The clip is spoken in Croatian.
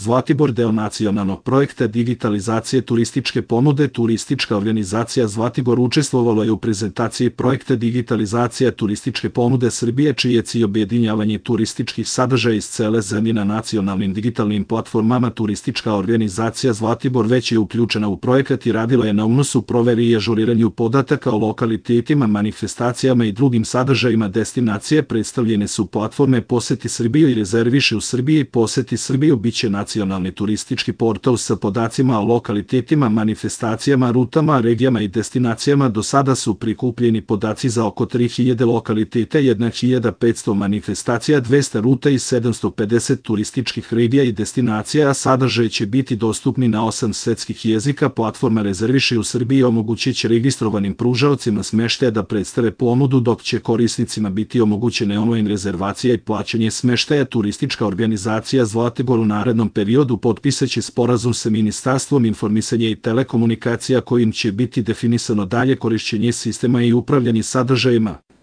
Zlatibor deo nacionalnog projekta digitalizacije turističke ponude. Turistička organizacija Zlatibor učestvovala je u prezentaciji projekta digitalizacija turističke ponude Srbije, čiji je cilj objedinjavanje turističkih sadržaja iz cele zemlje na nacionalnim digitalnim platformama. Turistička organizacija Zlatibor već je uključena u projekat i radila je na unosu, proveri i ažuriranju podataka o lokalitetima, manifestacijama i drugim sadržajima destinacije. Predstavljene su platforme Poseti Srbiju i Rezerviši u Srbiji. Poseti Srbiju biće nacionalni turistički portal sa podacima o lokalitetima, manifestacijama, rutama, regijama i destinacijama. Do sada su prikupljeni podaci za oko 3000 lokaliteta, 1500 manifestacija, 200 ruta i 750 turističkih regija i destinacija, a sadržaj će biti dostupni na 8 svetskih jezika. Platforma Rezerviši u Srbiji omogućit će registrovanim pružaocima smeštaja da predstave ponudu, dok će korisnicima biti omogućene online rezervacija i plaćanje smeštaja. Turistička organizacija Zlatibor u narednom periodu potpisaće sporazum sa Ministarstvom informisanja i telekomunikacija, kojim će biti definisano dalje korišćenje sistema i upravljanje sadržajima.